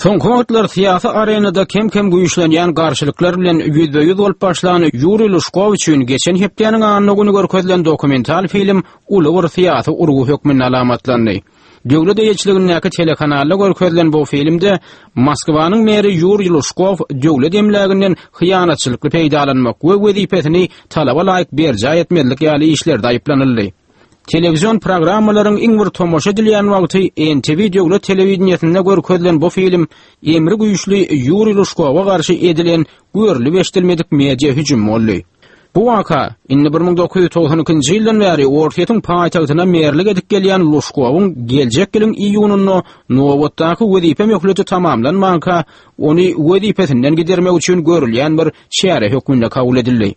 Soňky wagtlar syýasy arenada kem-kem güýçlenýän garşylyklar bilen ýüzbe-ýüz bolup başlan Ýuriý Lužkow üçin geçen hepdäniň anna güni görkezilen dokumental film uly bir syýasy urgy hökmünde alamatlandy. Döwlet eýeçiligindäki telekanalda görkezilen bu filmde Moskwanyň meri Ýuriý Lužkow döwlet emläginden hyýanatçylykly peýdalanmak we wezipesini talaba laýyk berjaý etmezlik ýaly işlerde aýyplanyldy. Telewizion programmalaryň iň bir tomaşa edilýän wagty NTV döwlet telewideniýesinde görkezilen bu film emri güýçli Ýuriý Lužkowa garşy edilen görlüp-eşidilmedik media hüjümi boldy. Bu waka, indi 1992-nji ýyldan bäri Orsýetiň paýtagtyna merlik edip gelýän Lužkowyň geljek ýylyň iýunynda nobatdaky wezipe möhleti tamamlanmanka, ony wezipesinden gidermek üçin görülýän bir çäre hökmünde kabul edildi.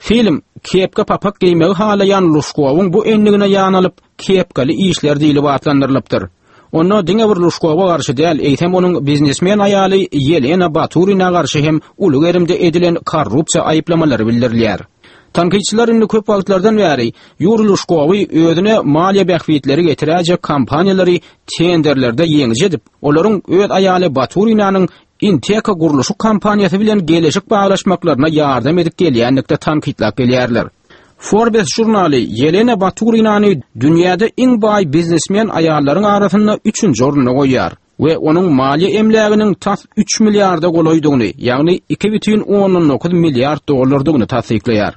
Film, kepka-papak geýmegi halaýan Lužkowyň bu endigine ýan alyp, Kepkaly işler diýlip atlandyrylypdyr. Onda diňe bir Lužkowa garşy däl, eýsem onuň biznesmen aýaly Ýelena Baturina garşy hem uly gerimde edilen korrupsiýa aýyplamalary bildirilýär. Tankytçylar indi köp wagtlardan bäri Ýuriý Lužkowy özüne maliýe bähbitleri getiräýjek kompaniýalary tenderlerde ýeňiji edip, olaryň öz aýaly Baturinanyň Inteka gurluşyk kompaniýasy bilen geleşik baglaşmaklaryna ýardam edip gelýänlikde tankytlap gelýärler. Forbes žurnaly Ýelena Baturinany dünýäde iň baý biznesmen aýallaryň arasynda üçünji orunda goýýar we onuň maliýe emläginiň tas üç milliarda golaýdygyny, ýagny 2,9 milliard dollardygyny tassyklaýar.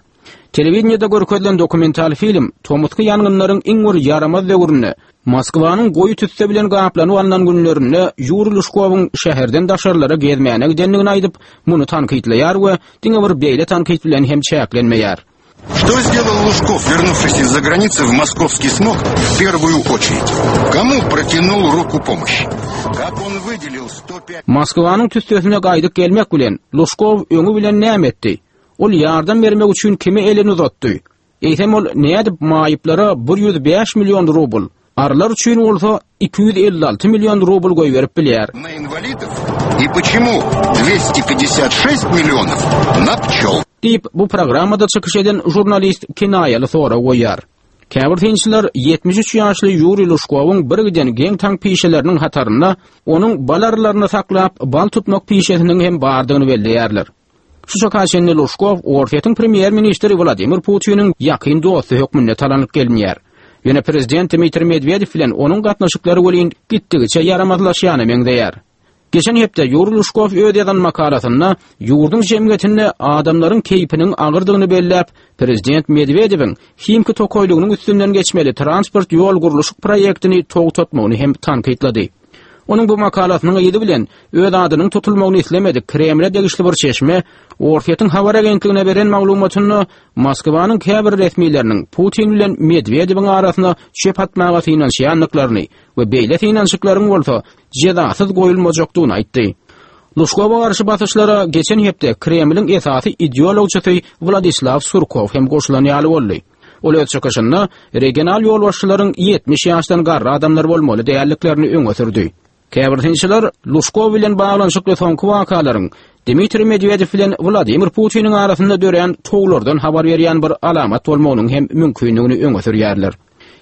Telewideniýede görkezilen dokumental film tomusky ýangynlaryň iň bir ýaramaz döwründe, Moskwanyň goýy tüsse bilen gaplanyp alnan günlerinde Ýuriý Lužkowyň şäherden daşarylara gezmäne gidendigini aýdyp, muny tankytlaýar we diňe bir beýle tankyt bilen hem çäklenmeýär. Что сделал Лужков, вернувшись из-за границы в московский смог, в первую очередь? Кому протянул руку помощи? Как он выделил 105... Moskwanyň tüssesine gaýdyp gelmek bilen, Lužkow öňi bilen näme etdi? Ol ýardam bermek üçin kime elini uzatdy? Eýsem ol nädip maýyplara 105 million rubl, arylar üçin bolsa 256 million rubl goýberip bilýär? На инвалидов? И почему 256 миллионов на пчел? Diýip, bu programmada çykyş eden žurnalist kinaýaly sorag goýýar. Käbir synçylar 73 ýaşly Ýuriý Lužkowyň birgiden geň-taň pişeleriniň hatarynda onuň bal arylaryny saklap, bal tutmak pişesiniň hem bardygyny belleýärler. Şu çaka çenli Lužkow Orsýetiň premýer-ministri Wladimir Putiniň ýakyn dosty hökmünde talanyp gelinýär. Ýöne prezident Dmitriý Medwedew bilen onuň gatnaşyklary welin gitdigiçe ýaramazlaşýana meňzeýär. Geçen hepde Ýuriý Lužkow öz ýazan makalasynda ýurduň jemgyýetinde adamlaryň keýpiniň agyrdygyny belläp, prezident Medwedewiň Himki tokaýlygynyň üstünden geçmeli transport ýol gurluşyk proýektini togtatmagyny hem tankytlady. Onuň bu makalasynyň yzy bilen öz adynyň tutulmagyny islemedik Kremle degişli bir çeşme Orsýetiň habar agentligine beren maglumatynda Moskwanyň käbir resmileriniň Putin bilen Medwedewiň arasyna çöp atmaga synanyşýandyklaryny we beýle synanyşyklaryň bolsa jezasyz goýulmajakdygyny aýtdy. Lužkowa garşy basyşlara geçen hepde Kremliň esasy ideologçysy Wladislaw Surkow hem goşulan ýaly boldy. Ol öz çykyşynda regional ýolbaşçylaryň 70 ýaşdan garry adamlar bolmaly däldiklerini öňe sürdi. Käbir synçylar Lužkow bilen baglanyşykly soňky wakalaryň Dmitriý Medwedew bilen Wladimir Putiniň arasynda dörän towlardan habar berýän bir alamat bolmagynyň hem mümkindigini öňe sürýärler.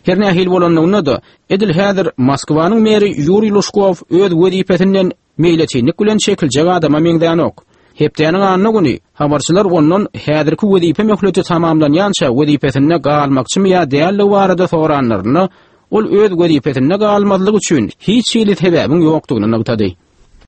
Her nähili bolanlygynda-da, edil häzir Moskwanyň meri Ýuriý Lužkow öz wezipesinden meýletinlik bilen çekiljek adama meňzänok. Hepdäniň anna güni habarçylar ondan häzirki wezipe möhleti tamamlanýança wezipesinde galmakçymy ýa däldigi barada soranlarynda, ol öz wezipesinde galmazlyk üçin hiç hili sebäbiň ýokdugyny nygtady.